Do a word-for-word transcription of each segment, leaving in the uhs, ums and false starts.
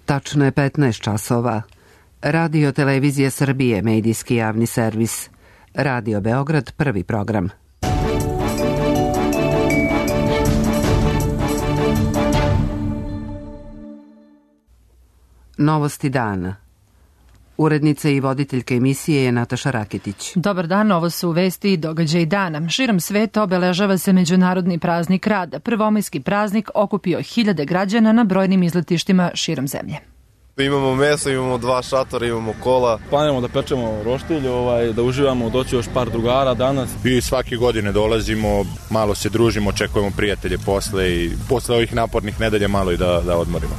Tačno je petnaest časova. Radio Televizija Srbije, medijski javni servis. Radio Beograd, prvi program. Novosti dana. Urednica i voditeljka emisije je Nataša Raketić. Dobar dan, ovo su vesti i događaji dana. Širom sveta obeležava se Međunarodni praznik rada. Prvomajski praznik okupio hiljade građana na brojnim izletištima širom zemlje. Imamo meso, imamo dva šatora, imamo kola. Planiramo da pečemo roštilj, ovaj, da uživamo, doći još par drugara danas. I svake godine dolazimo, malo se družimo, očekujemo prijatelje posle i posle ovih napornih nedelja malo i da, da odmorimo.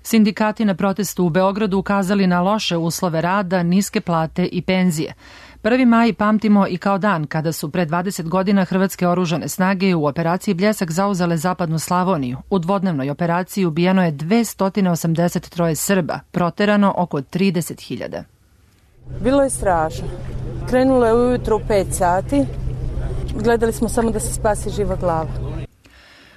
Sindikati na protestu u Beogradu ukazali na loše uslove rada, niske plate i penzije. prvi maj pamtimo i kao dan kada su pre dvadeset godina hrvatske oružane snage u operaciji Bljesak zauzele zapadnu Slavoniju. U dvodnevnoj operaciji ubijeno je dvesta osamdeset tri Srba, proterano oko trideset hiljada. Bilo je strašno. Krenulo je ujutro u pet sati. Gledali smo samo da se spasi živa glava.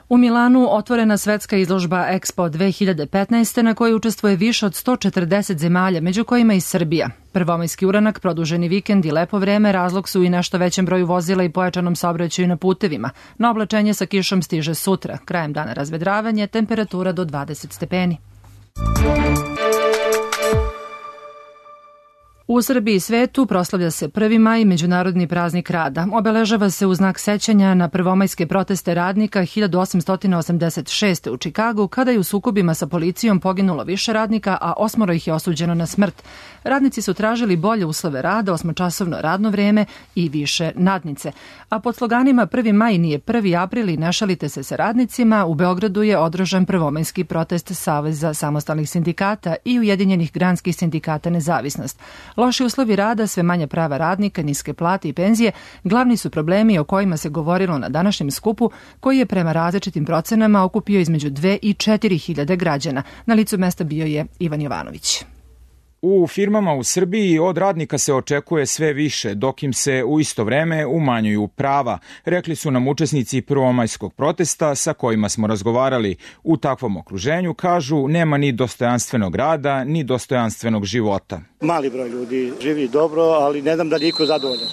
U Milanu otvorena svetska izložba Expo dve hiljade petnaeste na kojoj učestvuje više od sto četrdeset zemalja, među kojima i Srbija. Prvomajski uranak, produženi vikend i lepo vreme razlog su i nešto većem broju vozila i pojačanom saobraćaju na putevima. Na oblačenje sa kišom stiže sutra. Krajem dana razvedravanje, temperatura do dvadeset stepeni. U Srbiji i svetu proslavlja se prvi maj, Međunarodni praznik rada. Obeležava se u znak sećanja na prvomajske proteste radnika hiljadu osamsto osamdeset šeste. u Čikagu, kada je u sukobima sa policijom poginulo više radnika, a osmoro ih je osuđeno na smrt. Radnici su tražili bolje uslove rada, osmočasovno radno vreme i više nadnice. A pod sloganima prvi maj nije prvi april i ne šalite se sa radnicima, u Beogradu je održan prvomajski protest Saveza samostalnih sindikata i Ujedinjenih granskih sindikata Nezavisnost. Loši uslovi rada, sve manje prava radnika, niske plate i penzije glavni su problemi o kojima se govorilo na današnjem skupu, koji je prema različitim procenama okupio između dve i četiri hiljade građana. Na licu mesta bio je Ivan Jovanović. U firmama u Srbiji od radnika se očekuje sve više, dok im se u isto vreme umanjuju prava, rekli su nam učesnici prvomajskog protesta sa kojima smo razgovarali. U takvom okruženju, kažu, nema ni dostojanstvenog rada, ni dostojanstvenog života. Mali broj ljudi živi dobro, ali ne znam da li niko zadovoljan.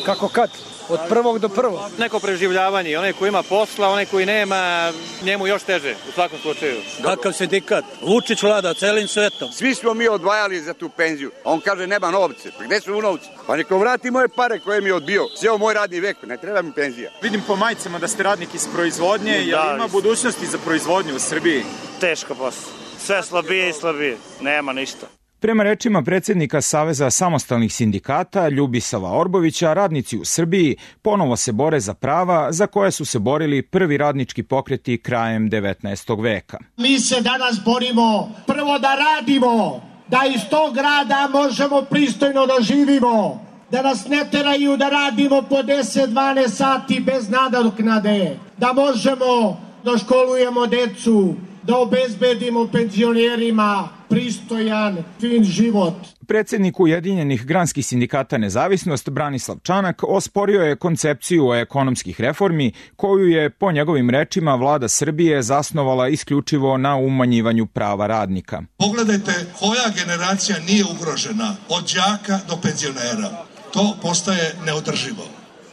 Kako kad? Od prvog do prvog. Neko preživljavanje, onaj koji ima posla, onaj koji nema, njemu još teže, u svakom slučaju. Kakav sindikat? Vučić vlada celim svetom. Svi smo mi odvajali za tu penziju, a on kaže nema novce. Pa gde su novci? Pa neko vrati moje pare koje mi je odbio. Sjeo moj radni vek, ne treba mi penzija. Vidim po majicama da ste radnik iz proizvodnje, je li ima budućnosti za proizvodnju u Srbiji? Teško posao. Sve slabije i slabije. Nema ništa. Prema rečima predsjednika Saveza samostalnih sindikata Ljubisava Orbovića, radnici u Srbiji ponovo se bore za prava za koje su se borili prvi radnički pokreti krajem devetnaestog veka. Mi se danas borimo prvo da radimo, da iz tog rada možemo pristojno da živimo, da nas ne teraju da radimo po deset dvanaest sati bez nadoknade, da možemo da školujemo decu, da obezbedimo penzionerima pristojan, fin život. Predsjednik Ujedinjenih granskih sindikata Nezavisnost Branislav Čanak osporio je koncepciju ekonomskih reformi koju je, po njegovim rečima, vlada Srbije zasnovala isključivo na umanjivanju prava radnika. Pogledajte koja generacija nije ugrožena od đaka do penzionera. To postaje neodrživo.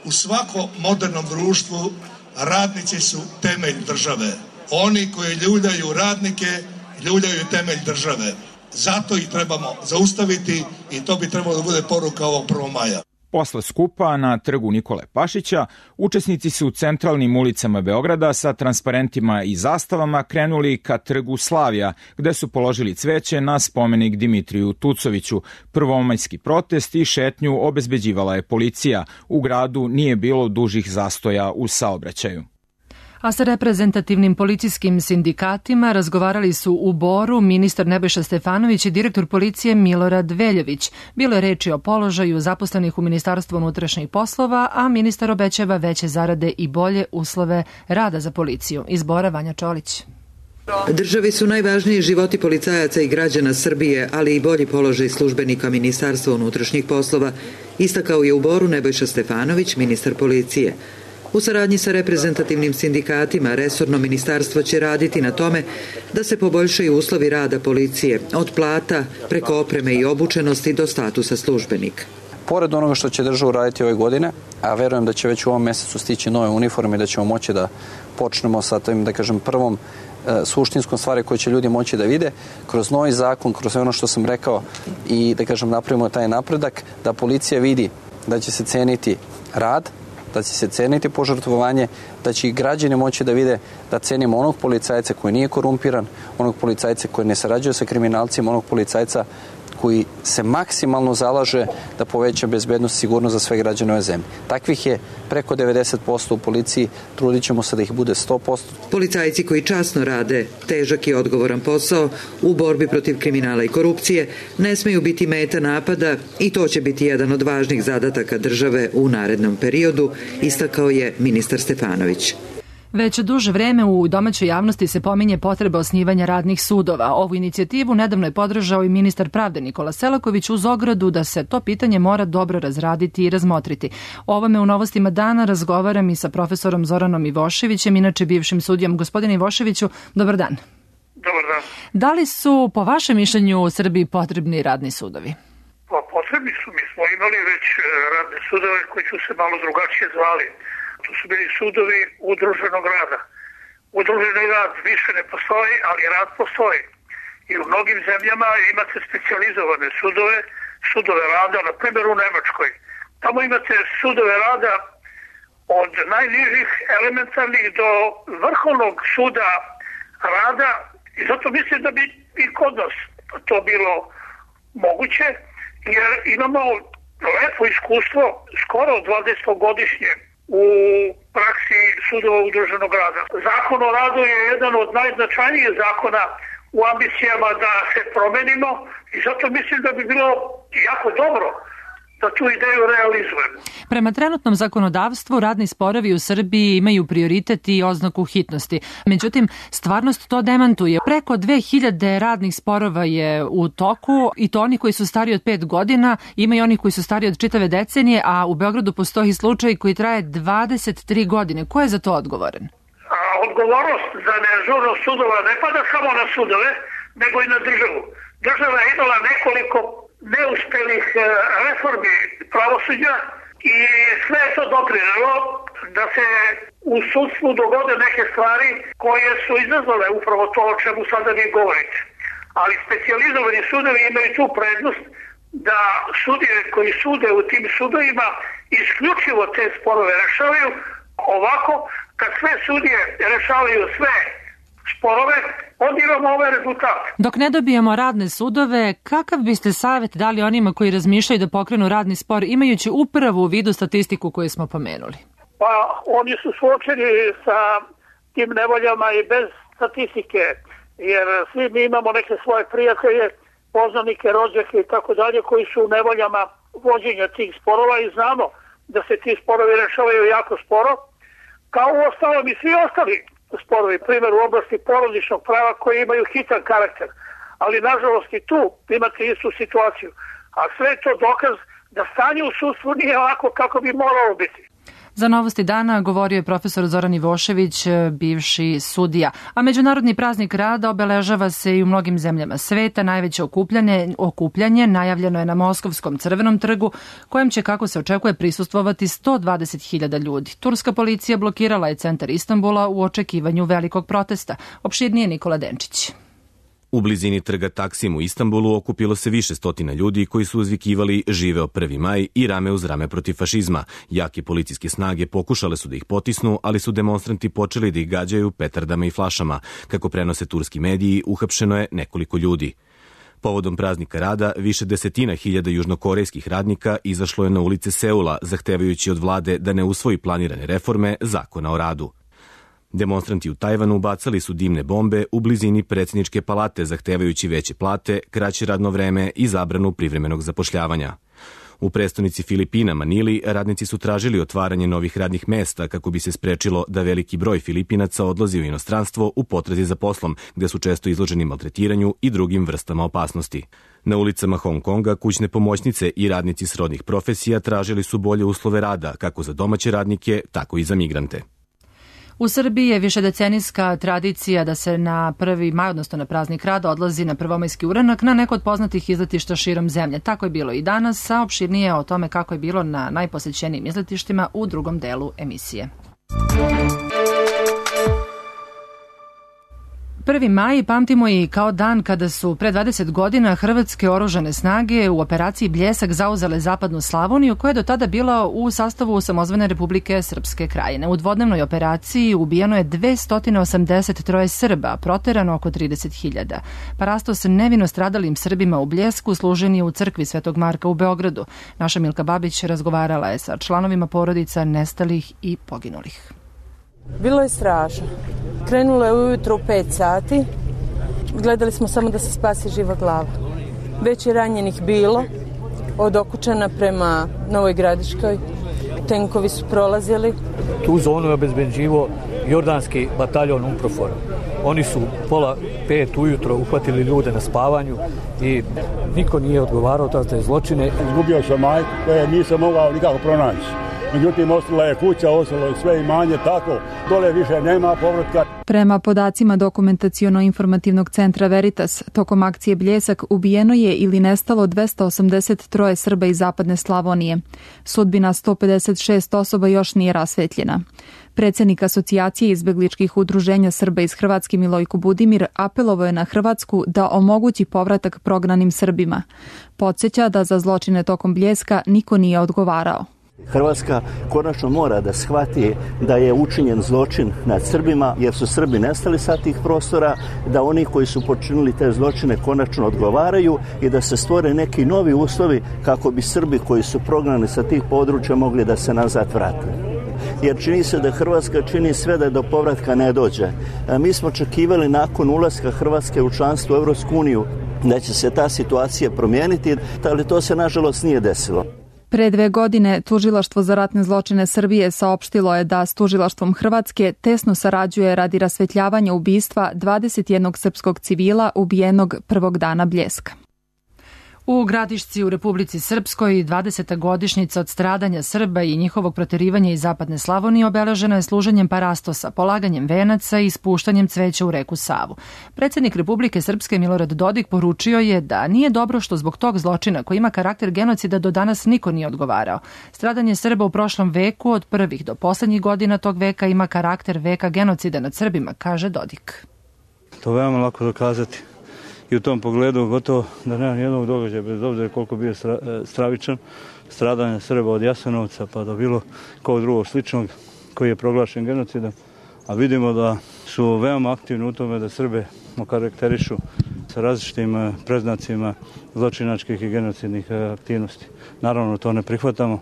U svakom modernom društvu radnici su temelj države. Oni koji ljuljaju radnike, ljuljaju temelj države. Zato ih trebamo zaustaviti i to bi trebalo da bude poruka ovog prvog maja. Posle skupa na trgu Nikole Pašića, učesnici su u centralnim ulicama Beograda sa transparentima i zastavama krenuli ka trgu Slavija, gde su položili cveće na spomenik Dimitriju Tucoviću. Prvomajski protest i šetnju obezbeđivala je policija. U gradu nije bilo dužih zastoja u saobraćaju. A sa reprezentativnim policijskim sindikatima razgovarali su u Boru ministar Nebojša Stefanović i direktor policije Milorad Veljović. Bilo je reči o položaju zaposlenih u Ministarstvu unutrašnjih poslova, a ministar obećava veće zarade i bolje uslove rada za policiju. Iz Bora Vanja Čolić. Državi su najvažniji životi policajaca i građana Srbije, ali i bolji položaj službenika Ministarstva unutrašnjih poslova, istakao je u Boru Nebojša Stefanović, ministar policije. U saradnji sa reprezentativnim sindikatima, resorno ministarstvo će raditi na tome da se poboljšaju uslovi rada policije, od plata preko opreme i obučenosti do statusa službenika. Pored onoga što će država uraditi ove godine, a verujem da će već u ovom mesecu stići nove uniforme i da ćemo moći da počnemo sa tim, da kažem, prvom e, suštinskom stvari koje će ljudi moći da vide, kroz novi zakon, kroz ono što sam rekao i da kažem napravimo taj napredak, da policija vidi da će se ceniti rad, da će se ceniti požrtvovanje, da će i građani moći da vide da cenimo onog policajca koji nije korumpiran, onog policajca koji ne sarađuje sa kriminalcima, onog policajca koji se maksimalno zalaže da poveća bezbednost i sigurnost za sve građane ove zemlje. Takvih je preko devedeset posto u policiji, trudit ćemo se da ih bude sto posto. Policajci koji časno rade težak i odgovoran posao u borbi protiv kriminala i korupcije ne smeju biti meta napada i to će biti jedan od važnih zadataka države u narednom periodu, istakao je ministar Stefanović. Već duže vreme u domaćoj javnosti se pominje potreba osnivanja radnih sudova. Ovu inicijativu nedavno je podržao i ministar pravde Nikola Selaković uz ogradu da se to pitanje mora dobro razraditi i razmotriti. O ovome u Novostima dana razgovaram i sa profesorom Zoranom Ivoševićem, inače bivšim sudijom. Gospodine Ivoševiću, dobar dan. Dobar dan. Da li su po vašem mišljenju u Srbiji potrebni radni sudovi? Pa potrebni su. Mi smo imali već radne sudove koji su se malo drugačije zvali. To su bili sudovi udruženog rada. Udruženi rad više ne postoji, ali rad postoji. I u mnogim zemljama imate specijalizovane sudove, sudove rada, na primjer u Nemačkoj. Tamo imate sudove rada od najnižih elementarnih do vrhovnog suda rada i zato mislim da bi i kod nas to bilo moguće, jer imamo lepo iskustvo, skoro dvadesetogodišnje u praksi sudova udruženog rada. Zakon o radu je jedan od najznačajnijih zakona u ambicijama da se promenimo i zato mislim da bi bilo jako dobro da tu ideju realizujemo. Prema trenutnom zakonodavstvu radni sporovi u Srbiji imaju prioritet i oznaku hitnosti. Međutim, stvarnost to demantuje. Preko dve hiljade radnih sporova je u toku i to oni koji su stariji od pet godina, ima i oni koji su stariji od čitave decenije, a u Beogradu postoji slučaj koji traje dvadeset tri godine. Ko je za to odgovoran? A, odgovornost za neažurnost sudova ne pada samo na sudove, nego i na državu. Država je imala nekoliko neuspelih reformi pravosuđa i sve je to doprinelo da se u sudstvu dogode neke stvari koje su izazvale upravo to o čemu sada vi govorite. Ali specijalizovani sudovi imaju tu prednost da sudije koji sude u tim sudovima isključivo te sporove rešavaju. Ovako, kad sve sudije rešavaju sve sporove, onda imamo ovaj rezultat. Dok ne dobijemo radne sudove, kakav biste savjet dali onima koji razmišljaju da pokrenu radni spor, imajući upravo u vidu statistiku koju smo pomenuli? Pa oni su suočeni sa tim nevoljama i bez statistike, jer svi mi imamo neke svoje prijatelje, poznanike, rođake i tako dalje, koji su u nevoljama vođenja tih sporova i znamo da se ti sporovi rešavaju jako sporo, kao u ostalom i svi ostali sporovi, primjer u oblasti porodičnog prava koji imaju hitan karakter, ali nažalost i tu imate istu situaciju. A sve je to dokaz da stanje u sudstvu nije ovako kako bi moralo biti. Za Novosti dana govorio je profesor Zoran Ivošević, bivši sudija. A Međunarodni praznik rada obeležava se i u mnogim zemljama sveta. Najveće okupljanje, okupljanje najavljeno je na Moskovskom Crvenom trgu, kojem će, kako se očekuje, prisustvovati sto dvadeset hiljada ljudi. Turska policija blokirala je centar Istanbula u očekivanju velikog protesta. Opširnije Nikola Denčić. U blizini trga Taksim u Istanbulu okupilo se više stotina ljudi koji su uzvikivali živeo prvi maj i rame uz rame protiv fašizma. Jake policijske snage pokušale su da ih potisnu, ali su demonstranti počeli da ih gađaju petardama i flašama. Kako prenose turski mediji, uhapšeno je nekoliko ljudi. Povodom praznika rada, više desetina hiljada južnokorejskih radnika izašlo je na ulice Seula, zahtevajući od vlade da ne usvoji planirane reforme zakona o radu. Demonstranti u Tajvanu bacali su dimne bombe u blizini predsjedničke palate, zahtevajući veće plate, kraće radno vreme i zabranu privremenog zapošljavanja. U prestonici Filipina, Manili, radnici su tražili otvaranje novih radnih mesta kako bi se sprečilo da veliki broj Filipinaca odlazi u inostranstvo u potrazi za poslom, gde su često izloženi maltretiranju i drugim vrstama opasnosti. Na ulicama Hong Konga kućne pomoćnice i radnici srodnih profesija tražili su bolje uslove rada, kako za domaće radnike, tako i za migrante. U Srbiji je višedecenijska tradicija da se na prvi maj, odnosno na praznik rada, odlazi na prvomajski uranak na neko od poznatih izletišta širom zemlje. Tako je bilo i danas, a opširnije o tome kako je bilo na najposećenijim izletištima u drugom delu emisije. Prvi maj pamtimo i kao dan kada su pre dvadeset godina hrvatske oružane snage u operaciji Bljesak zauzele zapadnu Slavoniju, koja je do tada bila u sastavu samozvane Republike Srpske Krajine. U dvodnevnoj operaciji ubijeno je dvesta osamdeset tri Srba, proterano oko trideset hiljada. Parastos nevino stradalim Srbima u Bljesku služen je u crkvi Svetog Marka u Beogradu. Naša Milka Babić razgovarala je sa članovima porodica nestalih i poginulih. Bilo je strašno. Krenulo je ujutro u pet sati. Gledali smo samo da se spasi živa glava. Već je ranjenih bilo od Okučana prema Novoj Gradiškoj. Tenkovi su prolazili. Tu zonu je obezbeđivao jordanski bataljon UNPROFOR. Oni su pola pet ujutro uhvatili ljude na spavanju i niko nije odgovarao za te zločine. Izgubio sam majku koje nisam mogao nikako pronaći. Međutim, ostala je kuća, ostalo je sve imanje, tako, dole više nema povratka. Prema podacima Dokumentaciono-informativnog centra Veritas, tokom akcije Bljesak ubijeno je ili nestalo dvesta osamdeset tri Srba iz zapadne Slavonije. Sudbina sto pedeset šest osoba još nije rasvetljena. Predsednik Asocijacije izbegličkih udruženja Srba iz Hrvatske Milojko Budimir apelovao je na Hrvatsku da omogući povratak prognanim Srbima. Podsjeća da za zločine tokom Bljeska niko nije odgovarao. Hrvatska konačno mora da shvati da je učinjen zločin nad Srbima, jer su Srbi nestali sa tih prostora, da oni koji su počinili te zločine konačno odgovaraju i da se stvore neki novi uslovi kako bi Srbi koji su prognani sa tih područja mogli da se nazad vrate. Jer čini se da Hrvatska čini sve da do povratka ne dođe. Mi smo očekivali nakon ulaska Hrvatske u članstvo u Evropsku uniju da će se ta situacija promijeniti, ali to se nažalost nije desilo. Pre dve godine Tužilaštvo za ratne zločine Srbije saopštilo je da s Tužilaštvom Hrvatske tesno sarađuje radi rasvetljavanja ubistva dvadeset jednog srpskog civila ubijenog prvog dana Bljeska. U Gradišci u Republici Srpskoj dvadeseta godišnjica od stradanja Srba i njihovog proterivanja iz zapadne Slavonije obeležena je služenjem parastosa, polaganjem venaca i spuštanjem cveća u reku Savu. Predsednik Republike Srpske Milorad Dodik poručio je da nije dobro što zbog tog zločina koji ima karakter genocida do danas niko nije odgovarao. Stradanje Srba u prošlom veku od prvih do poslednjih godina tog veka ima karakter veka genocida nad Srbima, kaže Dodik. To je veoma lako dokazati. I u tom pogledu gotovo da nema nijednog događaja, bez obzira koliko bio stravičan, stradanje Srba od Jasenovca pa do bilo kog drugog sličnog koji je proglašen genocidom. A vidimo da su veoma aktivni u tome da Srbe okarakterišu sa različitim preznacima zločinačkih i genocidnih aktivnosti. Naravno, to ne prihvatamo.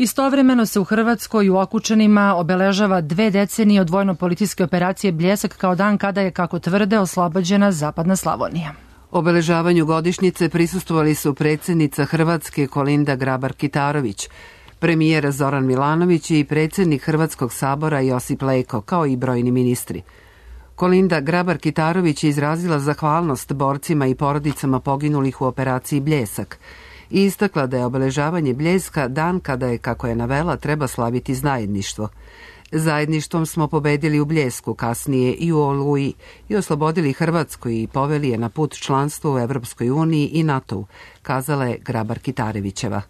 Istovremeno se u Hrvatskoj u Okučanima obeležava dve decenije od vojno-policijske operacije Bljesak kao dan kada je, kako tvrde, oslobođena zapadna Slavonija. Obeležavanju godišnjice prisustvovali su predsjednica Hrvatske Kolinda Grabar-Kitarović, premijer Zoran Milanović i predsjednik Hrvatskog sabora Josip Leko, kao i brojni ministri. Kolinda Grabar-Kitarović je izrazila zahvalnost borcima i porodicama poginulih u operaciji Bljesak i istakla da je obeležavanje Bljeska dan kada je, kako je navela, treba slaviti zajedništvo. Zajedništvom smo pobedili u Bljesku, kasnije i u Oluji, i oslobodili Hrvatsku i poveli je na put članstva u Evropskoj uniji i NATO-u, kazala je Grabar-Kitarevićeva.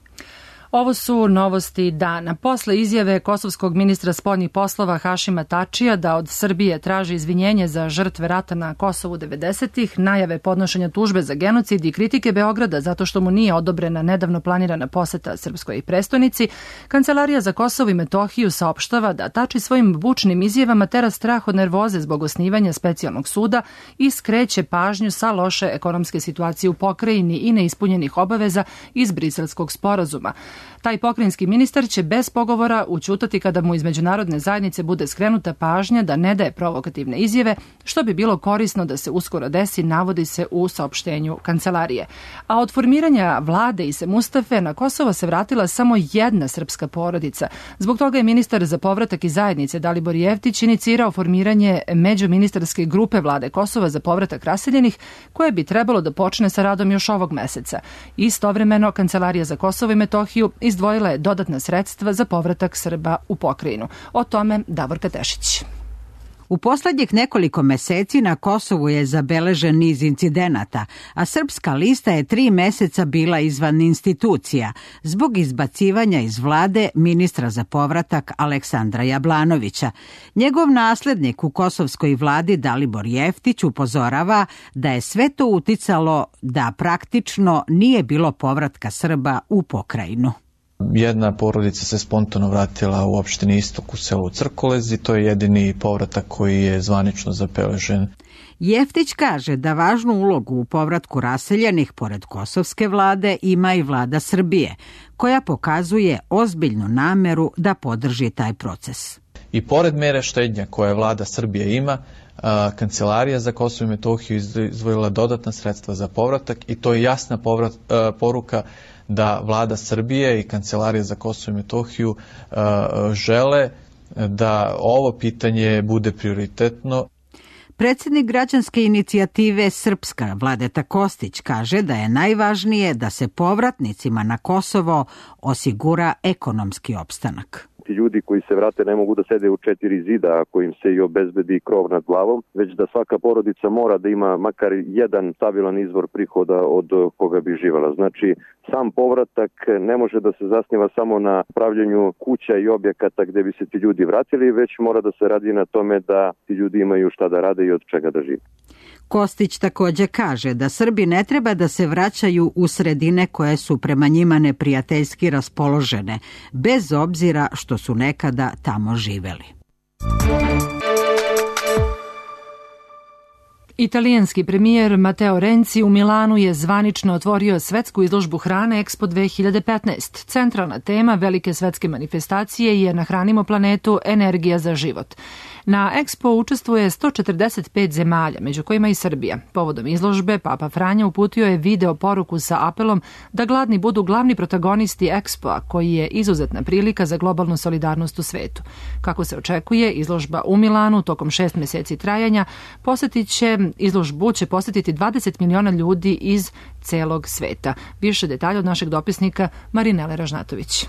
Ovo su novosti dana. Posle izjave kosovskog ministra spoljnih poslova Hašima Tačija da od Srbije traži izvinjenje za žrtve rata na Kosovu devedesetih, najave podnošenja tužbe za genocid i kritike Beograda zato što mu nije odobrena nedavno planirana poseta srpskoj prestonici, Kancelarija za Kosovo i Metohiju saopštava da Tači svojim bučnim izjavama tera strah od nervoze zbog osnivanja specijalnog suda i skreće pažnju sa loše ekonomske situacije u pokrajini i neispunjenih obaveza iz Briselskog sporazuma. Taj pokrajinski ministar će bez pogovora ućutati kada mu iz međunarodne zajednice bude skrenuta pažnja da ne daje provokativne izjave, što bi bilo korisno da se uskoro desi, navodi se u saopštenju kancelarije. A od formiranja vlade Ise Mustafe na Kosovo se vratila samo jedna srpska porodica. Zbog toga je ministar za povratak i zajednice Dalibor Jeftić inicirao formiranje međuministarske grupe vlade Kosova za povratak raseljenih, koje bi trebalo da počne sa radom još ovog meseca. Istovremeno, Kancelarija za Kosovo i Metohiju izdvojila je dodatna sredstva za povratak Srba u pokrajinu. O tome Davorka Tešić. U poslednjih nekoliko meseci na Kosovu je zabeležen niz incidenata, a Srpska lista je tri meseca bila izvan institucija zbog izbacivanja iz vlade ministra za povratak Aleksandra Jablanovića. Njegov naslednik u kosovskoj vladi Dalibor Jeftić upozorava da je sve to uticalo da praktično nije bilo povratka Srba u pokrajinu. Jedna porodica se spontano vratila u opštini Istok u selu Crkolez i to je jedini povratak koji je zvanično zabeležen. Jeftić kaže da važnu ulogu u povratku raseljenih pored kosovske vlade ima i vlada Srbije, koja pokazuje ozbiljnu nameru da podrži taj proces. I pored mere štednja koje vlada Srbije ima, Kancelarija za Kosovo i Metohiju izdvojila dodatna sredstva za povratak i to je jasna povrat, poruka da vlada Srbije i Kancelarija za Kosovo i Metohiju uh, žele da ovo pitanje bude prioritetno. Predsjednik građanske inicijative Srpska Vladeta Kostić kaže da je najvažnije da se povratnicima na Kosovo osigura ekonomski opstanak. Ti ljudi koji se vrate ne mogu da sede u četiri zida ako im se i obezbedi krov nad glavom, već da svaka porodica mora da ima makar jedan stabilan izvor prihoda od koga bi živela. Znači, sam povratak ne može da se zasniva samo na pravljenju kuća i objekata gde bi se ti ljudi vratili, već mora da se radi na tome da ti ljudi imaju šta da rade i od čega da žive. Kostić također kaže da Srbi ne treba da se vraćaju u sredine koje su prema njima neprijateljski raspoložene, bez obzira što su nekada tamo živeli. Italijanski premijer Matteo Renzi u Milanu je zvanično otvorio svetsku izložbu hrane Expo dve hiljade petnaest. Centralna tema velike svetske manifestacije je Nahranimo planetu, energija za život. Na Expo učestvuje sto četrdeset pet zemalja, među kojima i Srbija. Povodom izložbe, Papa Franja uputio je video poruku sa apelom da gladni budu glavni protagonisti Expo-a, koji je izuzetna prilika za globalnu solidarnost u svetu. Kako se očekuje, izložba u Milanu tokom šest meseci trajanja posjetit će, izložbu će posjetiti dvadeset miliona ljudi iz celog sveta. Više detalja od našeg dopisnika Marinele Ražnatović.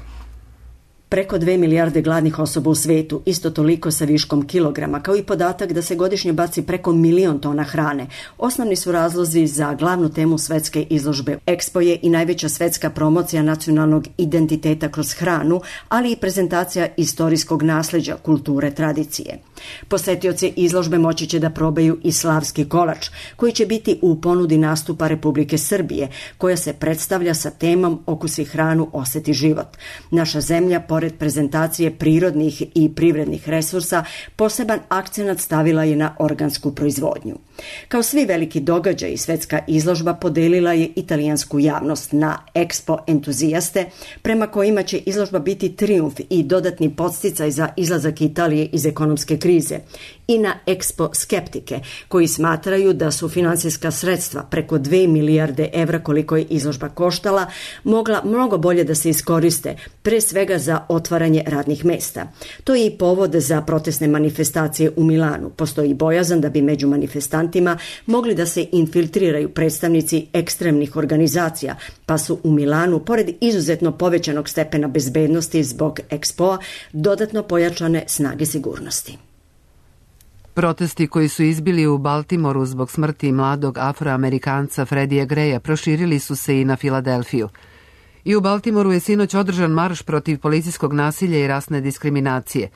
Preko dve milijarde gladnih osoba u svetu, isto toliko sa viškom kilograma, kao i podatak da se godišnje baci preko milion tona hrane. Osnovni su razlozi za glavnu temu svetske izložbe. Expo je i najveća svetska promocija nacionalnog identiteta kroz hranu, ali i prezentacija istorijskog nasljeđa, kulture, tradicije. Posetioci izložbe moći će da probaju i slavski kolač, koji će biti u ponudi nastupa Republike Srbije, koja se predstavlja sa temom Okusi hranu, oseti život. Naša zemlja, pored prezentacije prirodnih i privrednih resursa, poseban akcenat stavila je na organsku proizvodnju. Kao svi veliki događaji, svetska izložba podelila je italijansku javnost na Expo entuzijaste, prema kojima će izložba biti trijumf i dodatni podsticaj za izlazak Italije iz ekonomske krize, i na Expo skeptike, koji smatraju da su finansijska sredstva preko dve milijarde evra koliko je izložba koštala, mogla mnogo bolje da se iskoriste, pre svega za otvaranje radnih mesta. To je i povod za protestne manifestacije u Milanu. Postoji bojazan da bi među manifestantima mogli da se infiltriraju predstavnici ekstremnih organizacija, pa su u Milanu, pored izuzetno povećanog stepena bezbednosti zbog Expo-a, dodatno pojačane snage sigurnosti. Protesti koji su izbili u Baltimoru zbog smrti mladog afroamerikanca Freddija Greya proširili su se i na Filadelfiju. I u Baltimoru je sinoć održan marš protiv policijskog nasilja i rasne diskriminacije.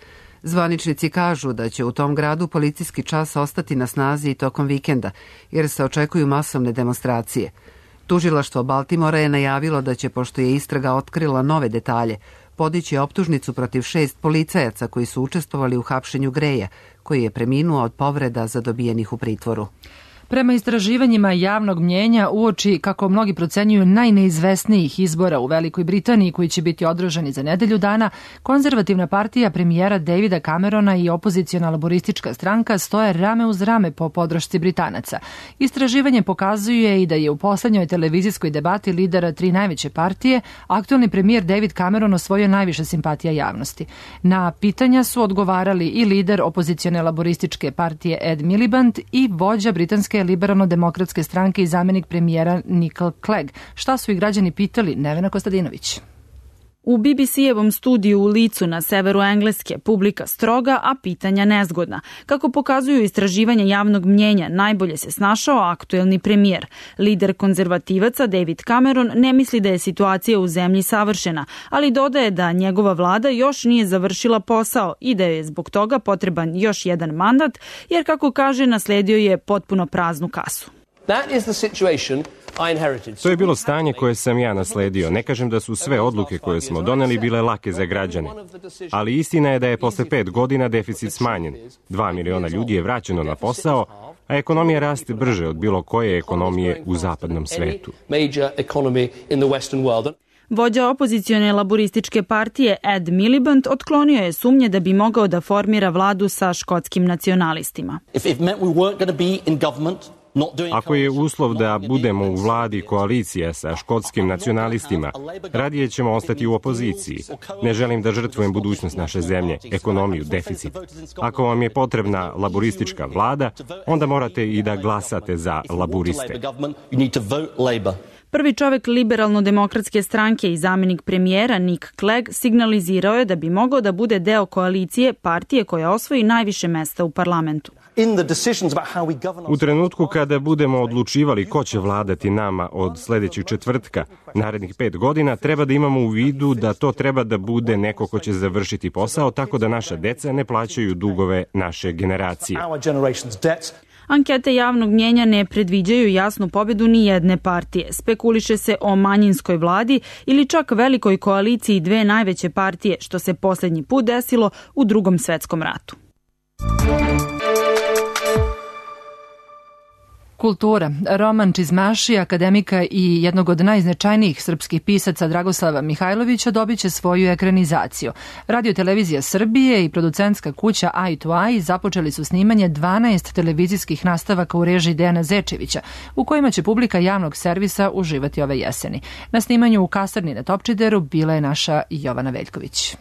Zvaničnici kažu da će u tom gradu policijski čas ostati na snazi i tokom vikenda, jer se očekuju masovne demonstracije. Tužilaštvo Baltimora je najavilo da će, pošto je istraga otkrila nove detalje, podići optužnicu protiv šest policajaca koji su učestvovali u hapšenju Greya, koji je preminuo od povreda zadobijenih u pritvoru. Prema istraživanjima javnog mnjenja uoči, kako mnogi procenjuju, najneizvesnijih izbora u Velikoj Britaniji koji će biti održani za nedelju dana, konzervativna partija premijera Davida Camerona i opoziciona laboristička stranka stoje rame uz rame po podršci Britanaca. Istraživanje pokazuje i da je u poslednjoj televizijskoj debati lidera tri najveće partije aktuelni premijer David Cameron osvojio najviše simpatija javnosti. Na pitanja su odgovarali i lider opozicione laborističke partije Ed Miliband i vođa britanske liberalno-demokratske stranke i zamenik premijera Nick Clegg. Šta su i građani pitali? Nevena Kostadinović. U B B C-evom studiju u Licu na severu Engleske publika stroga, a pitanja nezgodna. Kako pokazuju istraživanja javnog mnjenja, najbolje se snašao aktuelni premijer. Lider konzervativaca David Cameron ne misli da je situacija u zemlji savršena, ali dodaje da njegova vlada još nije završila posao i da je zbog toga potreban još jedan mandat, jer kako kaže, nasledio je potpuno praznu kasu. That is the situation To je bilo stanje koje sam ja nasledio. Ne kažem da su sve odluke koje smo doneli bile lake za građane. Ali istina je da je posle pet godina deficit smanjen. Dva miliona ljudi je vraćeno na posao, a ekonomija raste brže od bilo koje ekonomije u zapadnom svetu. Vođa opozicione laborističke partije Ed Miliband otklonio je sumnje da bi mogao da formira vladu sa škotskim nacionalistima. Ako je uslov da budemo u vladi koalicija sa škotskim nacionalistima, radije ćemo ostati u opoziciji. Ne želim da žrtvujem budućnost naše zemlje, ekonomiju, deficit. Ako vam je potrebna laboristička vlada, onda morate i da glasate za laboriste. Prvi čovek liberalno-demokratske stranke i zamenik premijera Nick Clegg signalizirao je da bi mogao da bude deo koalicije partije koja osvoji najviše mesta u parlamentu. U trenutku kada budemo odlučivali ko će vladati nama od sledećeg četvrtka, narednih pet godina, treba da imamo u vidu da to treba da bude neko ko će završiti posao tako da naša deca ne plaćaju dugove naše generacije. Ankete javnog mnjenja ne predviđaju jasnu pobedu ni jedne partije. Spekuliše se o manjinskoj vladi ili čak velikoj koaliciji dve najveće partije, što se poslednji put desilo u Drugom svetskom ratu. Kultura. Roman Čizmaši, akademika i jednog od najznačajnijih srpskih pisaca Dragoslava Mihajlovića, dobit će svoju ekranizaciju. Radio-televizija Srbije i producentska kuća Eye to Eye započeli su snimanje dvanaest televizijskih nastavaka u režiji Dejana Zečevića, u kojima će publika javnog servisa uživati ove jeseni. Na snimanju u kasarni na Topčideru bila je naša Jovana Veljković.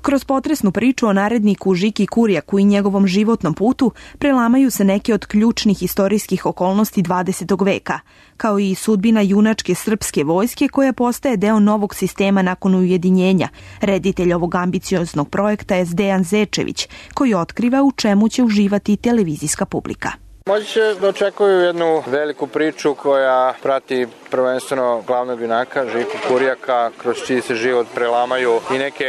Kroz potresnu priču o naredniku Žiki Kurjaku i njegovom životnom putu prelamaju se neke od ključnih istorijskih okolnosti dvadesetog veka, kao i sudbina junačke srpske vojske koja postaje deo novog sistema nakon ujedinjenja. Reditelj ovog ambicioznog projekta je Dejan Zečević, koji otkriva u čemu će uživati televizijska publika. Moći će da očekuju jednu veliku priču koja prati prvenstveno glavnog junaka, Žiku Kurjaka, kroz čiji se život prelamaju i neke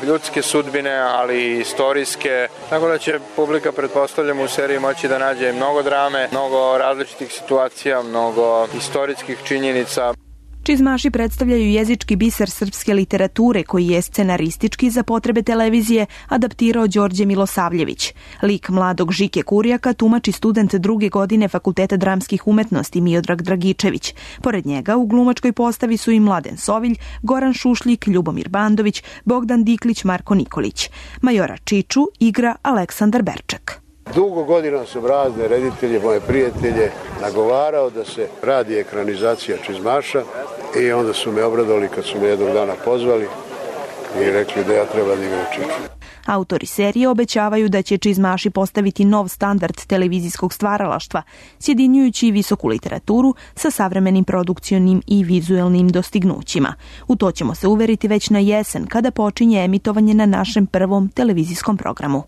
ljudske sudbine, ali i istorijske. Tako da će publika, pretpostavljam, u seriji moći da nađe mnogo drame, mnogo različitih situacija, mnogo istorijskih činjenica. Čizmaši predstavljaju jezički biser srpske literature koji je scenaristički za potrebe televizije adaptirao Đorđe Milosavljević. Lik mladog Žike Kurjaka tumači student druge godine Fakulteta dramskih umetnosti Miodrag Dragičević. Pored njega u glumačkoj postavi su i Mladen Sovilj, Goran Šušljik, Ljubomir Bandović, Bogdan Diklić, Marko Nikolić. Majora Čiču igra Aleksandar Berčak. Dugo godina sam razne reditelje, moje prijatelje, nagovarao da se radi ekranizacija Čizmaša i onda su me obradovali kad su me jednog dana pozvali i rekli da ja treba da igram Čiču. Autori serije obećavaju da će Čizmaši postaviti nov standard televizijskog stvaralaštva, sjedinjujući visoku literaturu sa savremenim produkcionim i vizuelnim dostignućima. U to ćemo se uveriti već na jesen, kada počinje emitovanje na našem prvom televizijskom programu.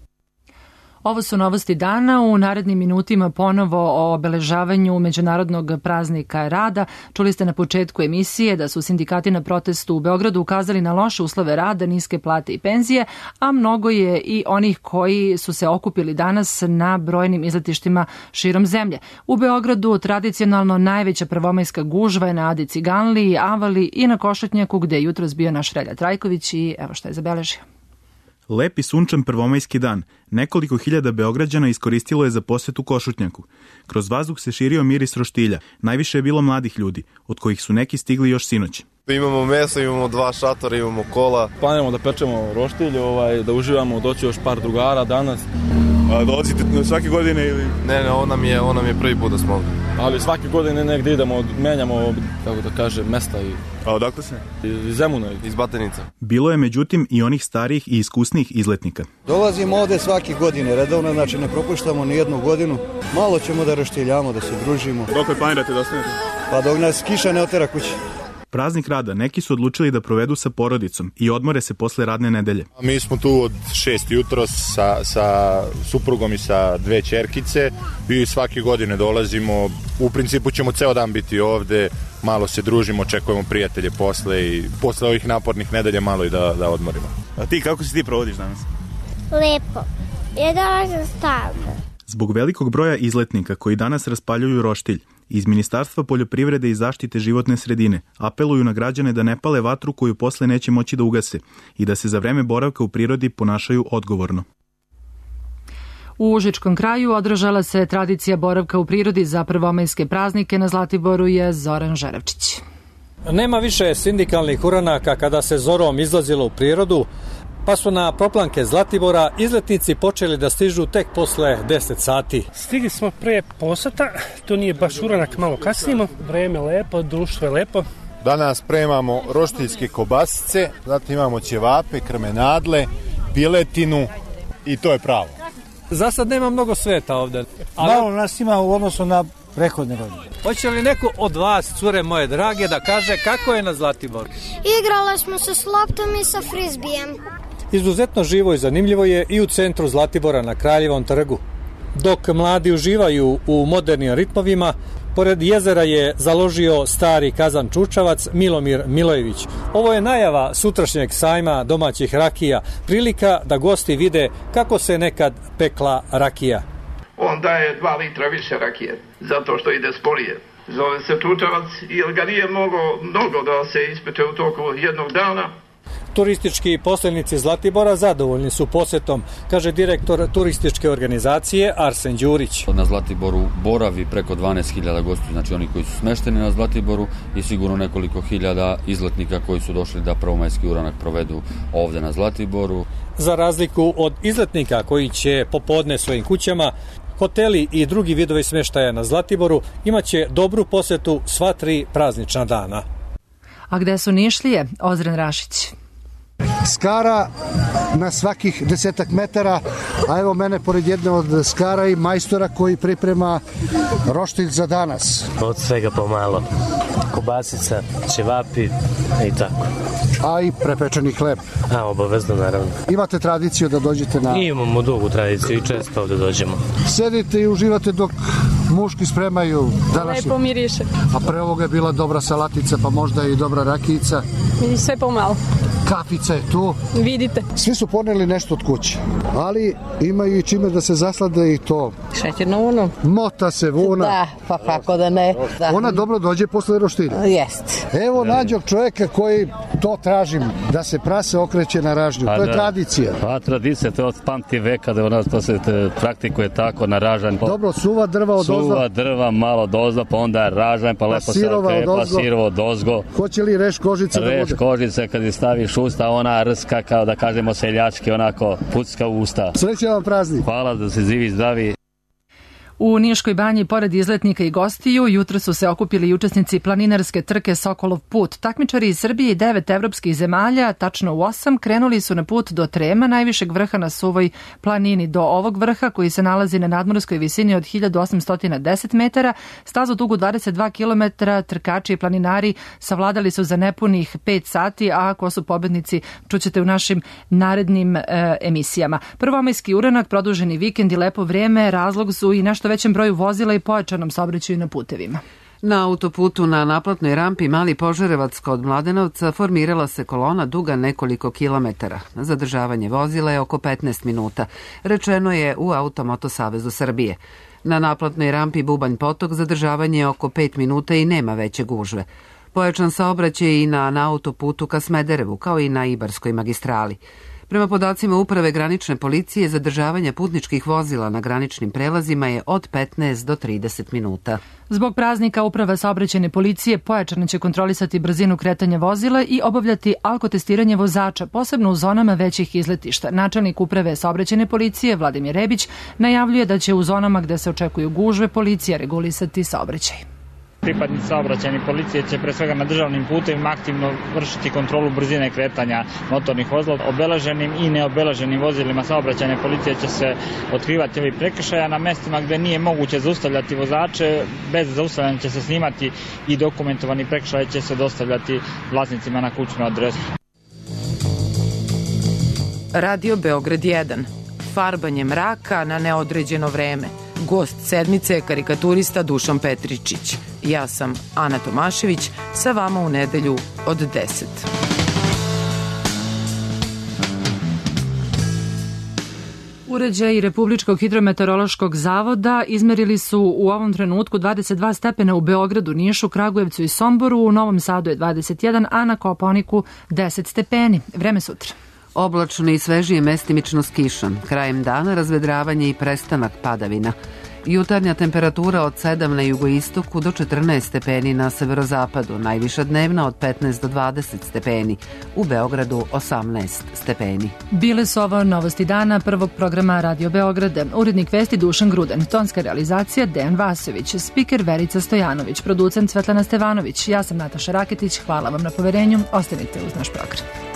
Ovo su novosti dana. U narednim minutima ponovo o obeležavanju Međunarodnog praznika rada. Čuli ste na početku emisije da su sindikati na protestu u Beogradu ukazali na loše uslove rada, niske plate i penzije, a mnogo je i onih koji su se okupili danas na brojnim izletištima širom zemlje. U Beogradu tradicionalno najveća prvomajska gužva je na Adi Ciganliji, Avali i na Košutnjaku, gde je jutros bio naš Relja Trajković i evo šta je zabeležio. Lep i sunčan prvomajski dan. Nekoliko hiljada Beograđana iskoristilo je za posetu Košutnjaku. Kroz vazduh se širio miris roštilja. Najviše je bilo mladih ljudi, od kojih su neki stigli još sinoć. Imamo meso, imamo dva šatora, imamo kola. Planiramo da pečemo roštilj, ovaj, da uživamo, doći još par drugara danas. A dolazite svake godine ili? Ne, ne, on nam je, on nam je prvi put da smo ovdje. Ali svake godine negdje idemo, menjamo, kako da kaže, mesta. I... A odakle se? Iz Zemuna. Iz Batenica. Bilo je međutim i onih starijih i iskusnih izletnika. Dolazimo ovdje svake godine, redovno, znači ne propuštamo ni jednu godinu. Malo ćemo da roštiljamo, da se družimo. Dok planirate da ostanete? Pa dok nas kiša ne otera kući. Praznik rada neki su odlučili da provedu sa porodicom i odmore se posle radne nedelje. Mi smo tu od šest jutro sa, sa suprugom i sa dve ćerkice i svake godine dolazimo. U principu ćemo ceo dan biti ovde, malo se družimo, očekujemo prijatelje posle i posle ovih napornih nedelja malo i da, da odmorimo. A ti, kako se ti provodiš danas? Lepo. Ja dolazim stalno. Zbog velikog broja izletnika koji danas raspaljuju roštilj, iz Ministarstva poljoprivrede i zaštite životne sredine apeluju na građane da ne pale vatru koju posle neće moći da ugase i da se za vreme boravka u prirodi ponašaju odgovorno. U Užičkom kraju održala se tradicija boravka u prirodi za prvomajske praznike. Na Zlatiboru je Zoran Žerevčić. Nema više sindikalnih uranaka kada se zorom izlazilo u prirodu, pa su na proplanke Zlatibora izletnici počeli da stižu tek posle deset sati. Stigli smo pre posata, to nije baš uranak, malo kasnimo, vreme lepo, društvo je lepo. Danas spremamo roštiljske kobasice, zatim imamo ćevape, krmenadle, piletinu i to je pravo. Za sad nema mnogo sveta ovde. Ali... Malo nas ima u odnosu na prethodne godine. Hoće li neko od vas, cure moje drage, da kaže kako je na Zlatiboru? Igrali smo se s loptom i sa frizbijem. Izuzetno živo i zanimljivo je i u centru Zlatibora na Kraljevom trgu. Dok mladi uživaju u modernim ritmovima, pored jezera je založio stari kazan čučavac Milomir Milojević. Ovo je najava sutrašnjeg sajma domaćih rakija, prilika da gosti vide kako se nekad pekla rakija. On daje dva litra više rakije, zato što ide sporije. Zove se čučavac, jer ga nije mnogo, mnogo da se ispeče u toku jednog dana. Turistički posljednici Zlatibora zadovoljni su posjetom, kaže direktor turističke organizacije Arsen Đurić. Na Zlatiboru boravi preko dvanaest hiljada gostiju, znači oni koji su smešteni na Zlatiboru i sigurno nekoliko hiljada izletnika koji su došli da prvomajski uranak provedu ovde na Zlatiboru. Za razliku od izletnika koji će popodne svojim kućama, hoteli i drugi vidovi smeštaja na Zlatiboru imaće dobru posjetu sva tri praznična dana. A gde su Nišlije? Ozren Rašić. Skara na svakih desetak metara, a evo mene pored jedne od skara i majstora koji priprema roštilj za danas. Od svega pomalo. Kobasica, ćevapi i tako. A i prepečeni hleb. A, obavezno, naravno. Imate tradiciju da dođete na... Imamo dugu tradiciju i često ovde dođemo. Sedite i uživate dok muški spremaju današnje. Lepo miriše. A pre ovoga je bila dobra salatica, pa možda i dobra rakijica. I sve pomalo. Kafica je tu. Vidite. Svi su poneli nešto od kuće, ali imaju i čime da se zaslade i to. Šećerno vuno. Mota se vuna. Da, pa kako da ne. Da. Ona dobro dođe posle roštilja. Jest. Evo nađog čovjeka koji to tražim, da se prase okreće na ražnju. To je da. Tradicija. Pa tradicija, to je od pamti veka da u nas to se praktikuje tako na ražanj. Dobro, suva drva od ozgo. Suva drva malo od ozgo, pa onda ražanj, pa, pa lepo se okrepa, sirovo od ozgo. Hoće li reš kožice da bude? Reš kožice kad je staviš usta, ona rska kao da kažemo seljački, onako pucka u usta. Srećan vam praznik. Hvala, da se živi zdravi. U Niškoj banji, pored izletnika i gostiju, jutro su se okupili i učesnici planinarske trke Sokolov put. Takmičari iz Srbije i devet evropskih zemalja, tačno u osam, krenuli su na put do Trema, najvišeg vrha na Suvoj planini. Do ovog vrha, koji se nalazi na nadmorskoj visini od hiljadu osamsto deset metara, stazu dugu dvadeset dva kilometra, trkači i planinari savladali su za nepunih pet sati, a ko su pobednici čućete u našim narednim e, emisijama. Prvomajski uranak, produženi vikend i lepo vreme razlog su i nešto većem broju vozila i pojačanom saobraćaju na putevima. Na autoputu na naplatnoj rampi Mali Požarevac kod Mladenovca formirala se kolona duga nekoliko kilometara. Zadržavanje vozila je oko petnaest minuta, rečeno je u Automoto Savezu Srbije. Na naplatnoj rampi Bubanj Potok zadržavanje je oko pet minuta i nema veće gužve. Pojačan saobraćaj i na, na autoputu ka Smederevu, kao i na Ibarskoj magistrali. Prema podacima Uprave granične policije, zadržavanje putničkih vozila na graničnim prelazima je od petnaest do trideset minuta. Zbog praznika Uprava saobraćajne policije pojačano će kontrolisati brzinu kretanja vozila i obavljati alkotestiranje vozača, posebno u zonama većih izletišta. Načelnik Uprave saobraćajne policije Vladimir Rebić najavljuje da će u zonama gde se očekuju gužve policija regulisati saobraćaj. Pripadnici saobraćajne policije će pre svega na državnim putevima aktivno vršiti kontrolu brzine kretanja motornih vozila. Obeleženim i neobeleženim vozilima saobraćajne policije će se otkrivati ovi prekršaja. Na mestima gde nije moguće zaustavljati vozače, bez zaustavljanja će se snimati i dokumentovani prekršaj će se dostavljati vlasnicima na kućnu adresu. Radio Beograd jedan. Farbanje mraka na neodređeno vreme. Gost sedmice je karikaturista Dušan Petričić. Ja sam Ana Tomašević, sa vama u nedelju od deset. Uređaji Republičkog hidrometeorološkog zavoda izmerili su u ovom trenutku dvadeset dva stepena u Beogradu, Nišu, Kragujevcu i Somboru, u Novom Sadu je dvadeset jedan, a na Kopaoniku deset stepeni. Vreme sutra. Oblačno i svežije, mestimično s kišom. Krajem dana razvedravanje i prestanak padavina. Jutarnja temperatura od sedam na jugoistoku do četrnaest stepeni na severozapadu, najviša dnevna od petnaest do dvadeset stepeni, u Beogradu osamnaest stepeni. Bile su ovo novosti dana prvog programa Radio Beograda. Urednik vesti Dušan Gruden, tonska realizacija Dejan Vasović, spiker Verica Stojanović, producent Svetlana Stevanović. Ja sam Nataša Raketić, hvala vam na poverenju, ostanite uz naš program.